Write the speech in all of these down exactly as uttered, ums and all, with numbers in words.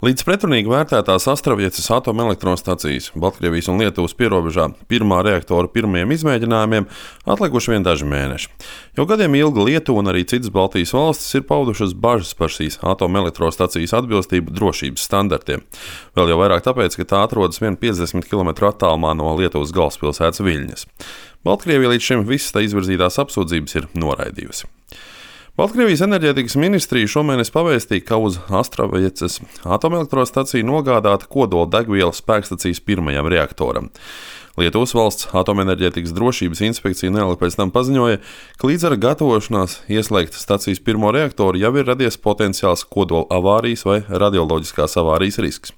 Līdz pretrunīgi vērtētās Astravieces atomelektrostacijas Baltkrievijas un Lietuvas pierobežā pirmā reaktora pirmajiem izmēģinājumiem atlikuši vien daži mēneši. Jau gadiem ilgi Lietuva un arī citas Baltijas valstis ir paudušas bažas par šīs atomelektrostacijas atbilstību drošības standartiem. Vēl jau vairāk tāpēc, ka tā atrodas vien piecdesmit kilometru attālumā no Lietuvas galvaspilsētas Viļņas. Baltkrievija līdz šim visas tā izvirzītās apsūdzības ir noraidījusi. Baltkrievijas enerģētikas ministrija šomēnes pavēstīja, ka uz Astravieces atomelektrostaciju nogādāta kodola degviela spēkstacijas pirmajam reaktoram. Lietuvas valsts atomenerģētikas drošības inspekcija neilgi pēc tam paziņoja, ka līdz ar gatavošanās ieslēgt stacijas pirmo reaktoru jau ir radies potenciāls kodola avārijas vai radioloģiskās avārijas risks.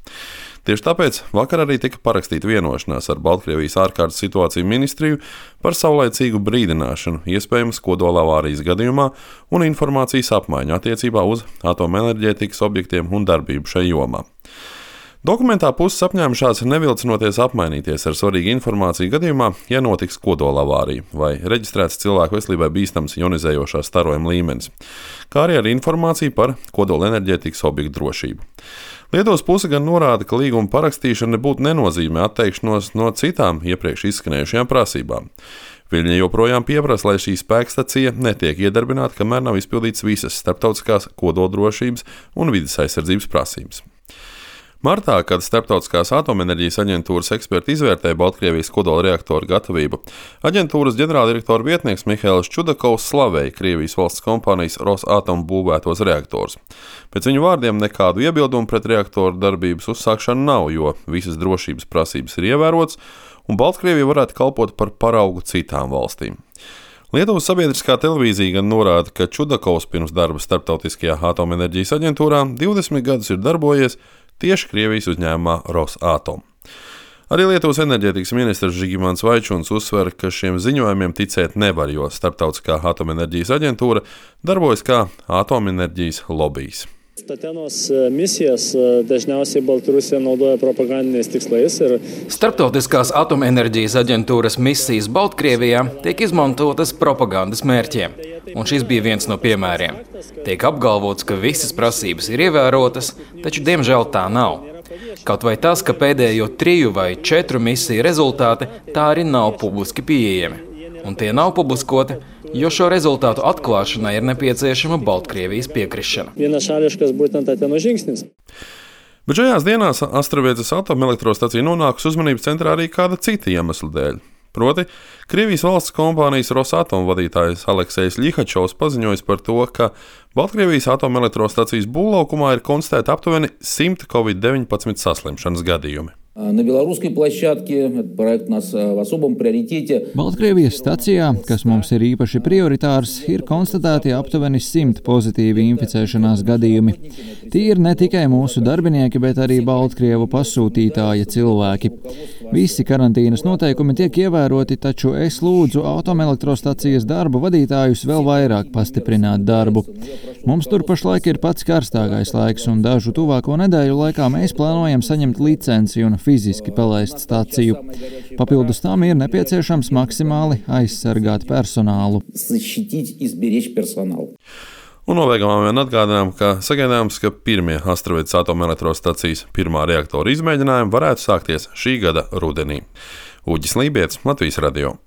Tieši tāpēc vakar arī tika parakstīta vienošanās ar Baltkrievijas ārkārtas situāciju ministriju par saulaicīgu brīdināšanu iespējamas kodola avārijas gadījumā un informācijas apmaiņu attiecībā uz atomenerģētikas objektiem un darbību šai jomā. Dokumentā puses apņēmušās nevilcinoties apmainīties ar svarīgu informāciju gadījumā, ja notiks kodola avārija vai reģistrēts cilvēku veselībai bīstams ionizējošā starojuma līmenis, kā arī ar informāciju par kodola enerģētikas objektu drošību. Lietuvas puse gan norāda, ka līguma parakstīšana nebūtu nenozīmē atteikšanos no citām iepriekš izskanējušajām prasībām. Viļņa joprojām pieprasa, lai šī spēkstacija netiek iedarbināta, kamēr nav izpildītas visas starptautiskās kodoldrošības un vides aizsardzības prasības. Martā, kad Starptautiskās atomenerģijas aģentūras eksperti izvērtēja Baltkrievijas kodola reaktoru gatavību, aģentūras ģenerāldirektora vietnieks Mihails Čudakovs slavēja Krievijas valsts kompānijas Rosatom būvētos reaktorus. Pēc viņu vārdiem nekādu iebildumu pret reaktoru darbības uzsākšanu nav, jo visas drošības prasības ir ievērotas, un Baltkrievija varētu kalpot par paraugu citām valstīm. Lietuvas sabiedriskā televīzija gan norāda, ka Čudakovs pirms darba Starptautiskajā atomenerģijas aģentūrā divdesmit gadus ir darbojies tieši Krievijas uzņēmumā Rosatom. Arī Lietuvas enerģētikas ministrs Žigimants Vaičuns uzsver, ka šiem ziņojumiem ticēt nevar, jo Starptautiskā atomenerģijas aģentūra darbojas kā atomenerģijas lobijs. Tatenos misijas dažniausiai Baltarusija naudoja propagandiniais tikslais. Ir... Starptautiskās atomenerģijas aģentūras misijas Baltkrievijā tiek izmantotas propagandas mērķiem, un šis bija viens no piemēriem. Tiek apgalvots, ka visas prasības ir ievērotas, taču diemžēl tā nav. Kaut vai tas, ka pēdējo triju vai četru misiju rezultāti tā arī nav publiski pieejami. Un tie nav publiskoti, jo šo rezultātu atklāšanai ir nepieciešama Baltkrievijas piekrišana. Vienašališkas būtent Tateno žingsnis. Bet šajās dienās Astravieces atomelektrostacija nonākusi uzmanības centrā arī kāda cita iemesla dēļ. Proti, Krievijas valsts kompānijas Rosatom vadītājs Aleksejs Ļihačovs paziņojis par to, ka Baltkrievijas atomelektrostacijas būvlaukumā ir konstatēti aptuveni simt covid deviņpadsmit saslimšanas gadījumi. На белорусской площадке этот проект у нас в особом приоритете. Baltkrievijas stacijā, kas mums ir īpaši prioritārs, ir konstatēti aptuveni simt pozitīvi inficēšanās gadījumi. Tie ir ne tikai mūsu darbinieki, bet arī Baltkrievu pasūtītāja cilvēki. Visi karantīnas noteikumi tiek ievēroti, taču es lūdzu atomelektrostacijas darbu vadītājus vēl vairāk pastiprināt darbu. Mums tur pašlaik ir pats karstākais laiks, un dažu tuvāko nedēļu laikā mēs plānojam saņemt licenci un fiziski palaist staciju. Papildus tam ir nepieciešams maksimāli aizsargāt personālu. Un nobeigumā vien atgādinām, ka sagaidāms, ka pirmie Astravieces atomelektrostacijas pirmā reaktora izmēģinājumi varētu sākties šī gada rudenī. Uģis Lībietis, Latvijas radio.